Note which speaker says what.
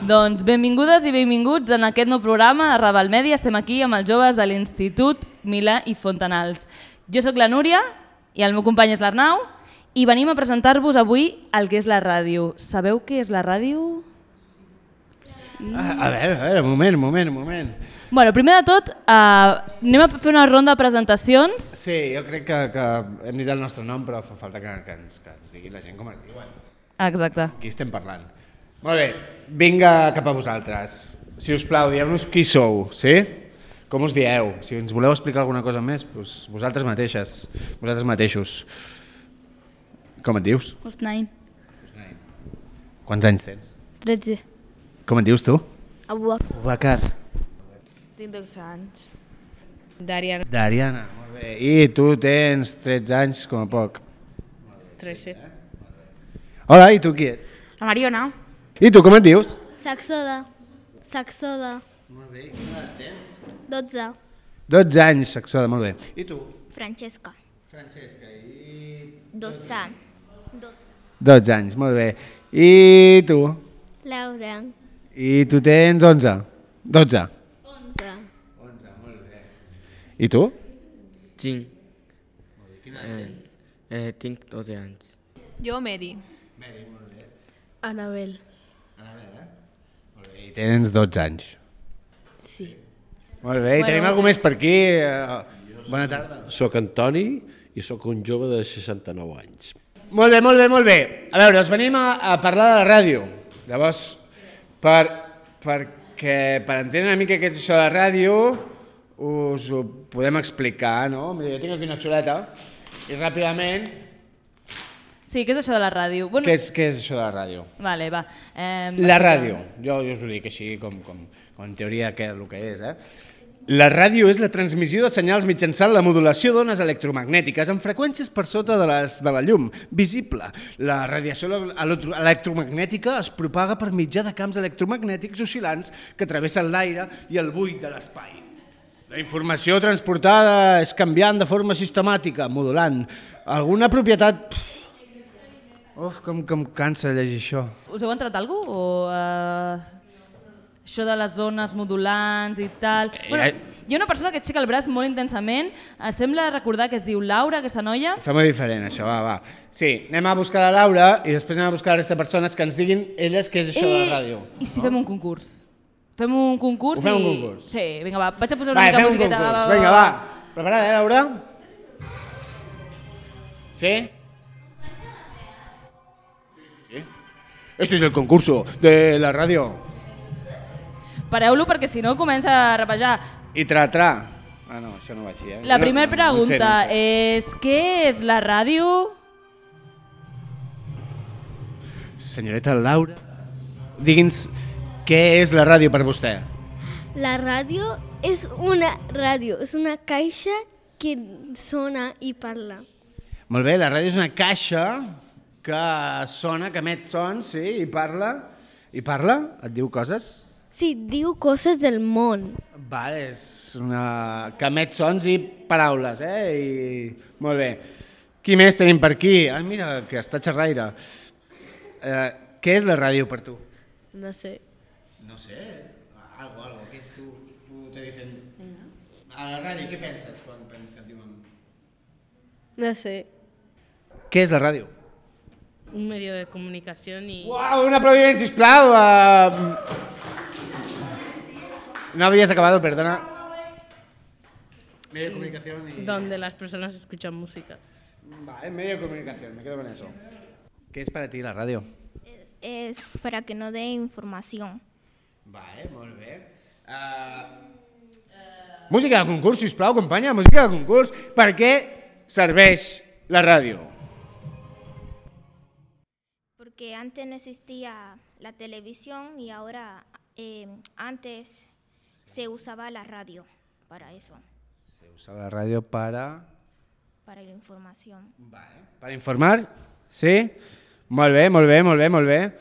Speaker 1: Doncs benvingudes i benvinguts en aquest nou programa de Raval Mèdia. Estem aquí amb els joves de l'Institut Milà i Fontanals. Jo sóc la Núria i el meu company és l'Arnau i venim a presentar-vos avui el que és la ràdio. Sabeu què és la ràdio? Sí.
Speaker 2: A veure, un moment.
Speaker 1: Bueno, primer de tot, anem a fer una ronda de presentacions.
Speaker 2: Sí, jo crec que hem dit el nostre nom, però fa falta que ens digui la gent com es diuen.
Speaker 1: Exacte.
Speaker 2: Aquí estem parlant. Molt bé, vinga cap a vosaltres. Si us plau, dieu-nos qui sou, sí? Com us dieu? Si ens voleu explicar alguna cosa més, doncs vosaltres mateixos. Com et dius?
Speaker 3: Husnain.
Speaker 2: Quants anys tens?
Speaker 3: 13.
Speaker 2: Com et dius tu?
Speaker 3: Abubakar.
Speaker 4: Tinc 12 anys.
Speaker 3: Dariana.
Speaker 2: Dariana, molt bé. I tu tens 13 anys com a poc.
Speaker 3: 13.
Speaker 2: Hola, i tu qui ets?
Speaker 4: La Mariona.
Speaker 2: I tu com et dius?
Speaker 5: Saxoda.
Speaker 2: Molt bé, quina edat tens?
Speaker 5: 12.
Speaker 2: 12 anys, Saxoda, molt bé. I tu?
Speaker 5: Francesca.
Speaker 2: Francesca, i...
Speaker 5: 12.
Speaker 2: 12 anys, molt bé. I tu?
Speaker 5: Laura.
Speaker 2: I tu tens 11? 12?
Speaker 5: 11.
Speaker 2: 11, molt bé. I tu?
Speaker 6: Tinc. Tinc 12 anys.
Speaker 4: Jo, Mary.
Speaker 2: Mary, molt bé.
Speaker 4: Anabel.
Speaker 2: Molt bé, i tens 12 anys.
Speaker 4: Sí.
Speaker 2: Molt bé, i tenim alguna més per aquí. Bona tarda.
Speaker 7: Soc Antoni i sóc un jove de 69 anys.
Speaker 2: Molt bé. A veure, us venim a parlar de la ràdio. Llavors, perquè per entendre una mica què és això de la ràdio, us ho podem explicar, no? Jo tinc aquí una xuleta i ràpidament...
Speaker 1: Sí, què és això de la ràdio? Bueno,
Speaker 2: Què és això de la ràdio?
Speaker 1: Vale, va.
Speaker 2: La ràdio, jo us ho dic així com en teoria el que és. La ràdio és la transmissió de senyals mitjançant la modulació d'ones electromagnètiques amb freqüències per sota de la llum visible. La radiació electromagnètica es propaga per mitjà de camps electromagnètics oscil·lants que travessen l'aire i el buit de l'espai. La informació transportada és canviant de forma sistemàtica, modulant. Alguna propietat... Uf, com cansa llegir això.
Speaker 1: Us heu entrat alguna cosa? Això de les zones modulants i tal... Bueno, hi ha una persona que aixeca el braç molt intensament, sembla recordar que es diu Laura, aquesta noia.
Speaker 2: Fem-ho diferent, això, va. Sí, anem a buscar la Laura i després anem a buscar la resta de persones que ens diguin elles què és això de la ràdio.
Speaker 1: I si fem un concurs? Fem un concurs
Speaker 2: Ho fem un concurs?
Speaker 1: Sí, vinga, va, vaig a posar una mica musiqueta.
Speaker 2: Fem un concurs, vinga, va. Preparada, Laura? Sí? Este es el concurso de la radio.
Speaker 1: Pareu-lo perquè si no comença a rapejar.
Speaker 2: I tra. Ah, no, això no va així,
Speaker 1: La primera pregunta és, què és la ràdio?
Speaker 2: Senyoreta Laura, digui'ns què és la ràdio per vostè.
Speaker 5: La ràdio és una caixa que sona i parla.
Speaker 2: Molt bé, la ràdio és una caixa que sona, que emet sons, sí, i parla. I parla? Et diu coses?
Speaker 5: Sí, diu coses del món.
Speaker 2: Vale, és una... que emet sons i paraules, Molt bé. Qui més tenim per aquí? Ah, mira, que està xerraire. Què és la ràdio per tu?
Speaker 4: No sé.
Speaker 2: No sé, algo, què és tu te dicen... A la ràdio, què penses quan et diuen...
Speaker 4: No sé.
Speaker 2: Què és la ràdio?
Speaker 3: Un medio de comunicación y...
Speaker 2: Uau, un aplaudiment, sisplau! No habías acabado, perdona. Medio de comunicación y...
Speaker 3: Donde las personas escuchan música.
Speaker 2: Vale, medio de comunicación, me quedo con eso. ¿Qué es para ti la radio?
Speaker 5: Es para que no dé información.
Speaker 2: Vale, molt bé. Música de concurs, sisplau, companya, música de concurs. Per què serveix la ràdio?
Speaker 8: Porque antes no existía la televisión y ahora antes se usaba la radio para eso.
Speaker 2: Se usaba la radio para
Speaker 8: la información.
Speaker 2: Vale. Para informar? Sí? Molt bé.